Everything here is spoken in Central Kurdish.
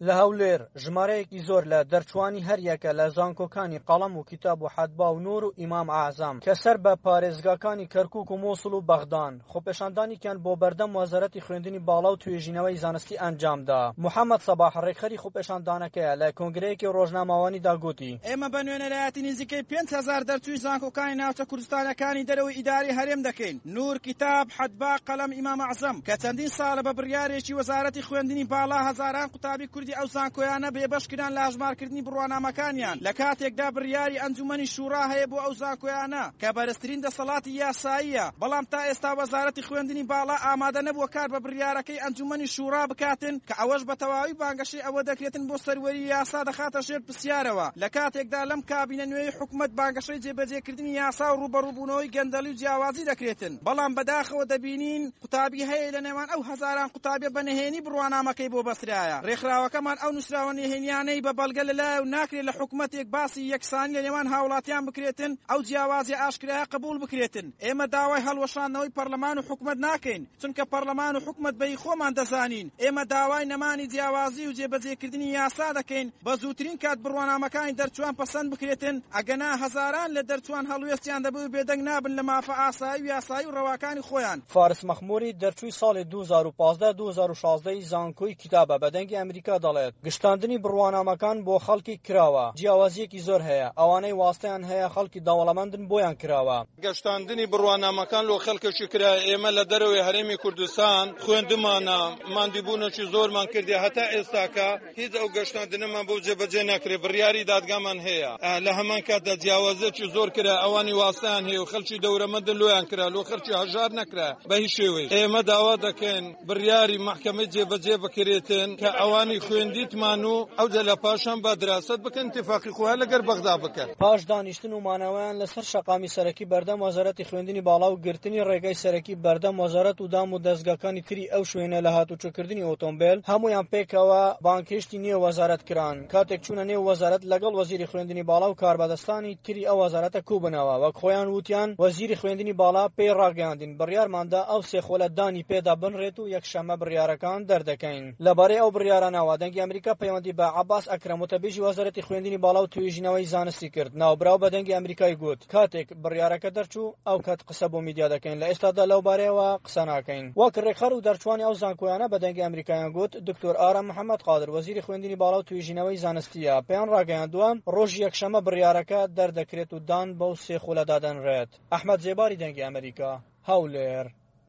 لە هەولێر، ژمارەیەکی زۆر لە دەرچووانی هەریەکە لە زانکۆکانی قەڵەم و کیتاب و حەدبا و نوور و ئیمام ئەعزەم کە سەر بە پارێزگاکانی کەرکووک و مووسڵ و بەغدان، خۆپێشاندانێکیان بۆ بەردەم وەزارەتی خوێندنی باڵا و توێژینەوەی زانستی ئەنجامدا. محەمەد سەباح، ڕێکخەری خۆپێشاندانەکەیە، لە کۆنگرەیەکی ڕۆژنامەوانیدا گوتی. ئێمە بە نوێنەرایەتی نزیکەی 5000 دەرچووی زانکۆکانی ناوچە کوردستانیەکانی دەرەوەی ئیدارەی هەرێم دەکەین، نوور، کیتاب، حەدبا، قەلەم، ئیمام ئەعزەم، کە چەندین ساڵە بە بڕیارێکی وەزارەتی خوێندنی باڵا هەزاران قوتابی کوردی ئەو زانکۆیانە بێبەش کران لە هەژمارکردنی بڕوانامەکانیان، لە کاتێکدا بڕیاری ئەنجومەنی شوڕا هەیە بۆ ئەو زانکۆیانە کە بەرزترین دەسەڵاتی یاساییە، بەڵام تا ئێستا وەزارەتی خوێندنی باڵا ئامادە نەبووە کار بە بڕیارەکەی ئەنجومەنی شوڕا بکاتن کە ئەوەش بە تەواوی بانگەشەی ئەوە دەکرێتن بۆ سەروەری یاسا دەخاتە ژێر پرسیارەوە، لە کاتێکدا لەم کابینە نوێی حکومەت بانگەشەی جێبەجێکردنی یاسا و ڕووبەڕووبوونەوەی گەندەڵی و جیاوازی دەکرێتن، بەڵام بەداخەوە دەبینین قوتابی هەیە لە نێوان ئەو هەزاران قوتابیە بە نهێنی بڕوانامەکەی بۆ بەسترایە. رێکخراوەکەمان ئەو نووسراوە نهێنیانەی بە بەڵگە لەلایە و ناکرێت لە حکومەتێک باسی یەکسانی لە نێوان هاوڵاتیان بکرێتن ئەو جیاوازیە ئاشکرایە قبوڵ بکرێتن. ئێمە داوای هەڵوەشاندنەوەی پەڕلەمان و حکومەت ناکەین، چونکە پەڕلەمان و حکومەت بە هی خۆمان دەزانین. ئێمە داوای نەمانی جیاوازی و جێبەجێکردنی یاسا دەکەین، بە زووترین کات بڕوانامەکانی دەرچووان پەسەند بکرێتن، ئەگەنا هەزاران لە دەرچووان هەڵوێستیان دەبێ و بێدەنگ نابن لە مافە ئاسایی و یاسایی و ڕەواکانی خۆیان. فارس مەخموری دەرچووی ساڵی 2015 2016 ی زانکۆی کیتابە بە دەنگی ئەمریکا دەڵێت، گشتاندنی بڕوانامەکان بۆ خەڵکی کراوە، جیاوازییەکی زۆر هەیە، ئەوانەی واستەیان هەیە خەڵکی دەوڵەمەندن بۆیان کراوە. گشتاندنی بڕوانامەکان لۆ خەڵکێکی کرایە، ئێمە لە دەرەوەی هەرێمی کوردستان خوێندمانە، ماندیبوونێکی زۆرمان کردیە هەتا ئێستاکە هیچ ئەو گەشتاندنەمان بۆ جێبەجێ ناکرێت، بڕیاری دادگامان هەیە، لە هەمان کاتدا جیاوازیەکی زۆر کرا، ئەوانی واستەیان هەیە و خەڵکی دەورەمەندن لۆیان کرا، لۆ خەڵکی هەژار نەکرا بە هیچ شێوەیەک. ئێمە داوا دەکەین بڕیاری مەحکەمەی جێبەجێ بکرێتن کە ئەوانی خوێندیتمان و ئەوجا لە پاشان با دراست بکەن ئیتفاقی خۆیان لەگەر بەغدا بکەن. پاش دانیشتن و مانەوەیان لەسەر شەقامی سەرەکی بەردەم وەزارەتی خوێندنی باڵا و گرتنی ڕێگای سەرەکی بەردەم وەزارەت و دام و دەزگاکانی تری ئەو شوێنە لە هاتوچۆکردنی ئۆتۆمبێل هەموویان پێکەوە بانگهێشتی نێو وەزارەت کران. کاتێک چوونە نێو وەزارەت لەگەڵ وەزیری خوێندنی باڵا و کاربەدەستانی تری ئەو وەزارەتە کوبنەوە وەک خۆیان وتیان وەزیری خوێندنی باڵا پێی ڕاگەیاندین بڕیارماندا ئەو سێ خولە دانی پێدا بنرێت و یەکشەممە بڕیارەکان دەردەکەین. لەبارەی ئەو بڕیارانەوە دەنگی ئەمریکا پەیوەندی بە عەباس ئەکرەم وتەبێژی وەزارەتی خوێندنی باڵا و توێژینەوەی زانستی کرد. ناوبراو بە دەنگی ئەمریکای گوت کاتێک بڕیارەکە دەرچوو ئەو کات قسە بۆ میدیا دەکەین لە ئێستادا لەو بارەیەوە قسە ناکەین. وەک ڕێکخەر و دەرچووانی ئەو زانکۆیانە بە دەنگی ئەمریکایان گوت دکتۆر ئارام محەمەد قادر وەزیری خوێندنی باڵا و توێژینەوەی زانستییە پێیان ڕاگەیاندووە ڕۆژی یەکشەممە بڕیارەکە دەردەکرێت و دان بەو سێ خولە دادەنرێت. ئەحمەد زێباری دەنگی ئەمریکا، هەولێر.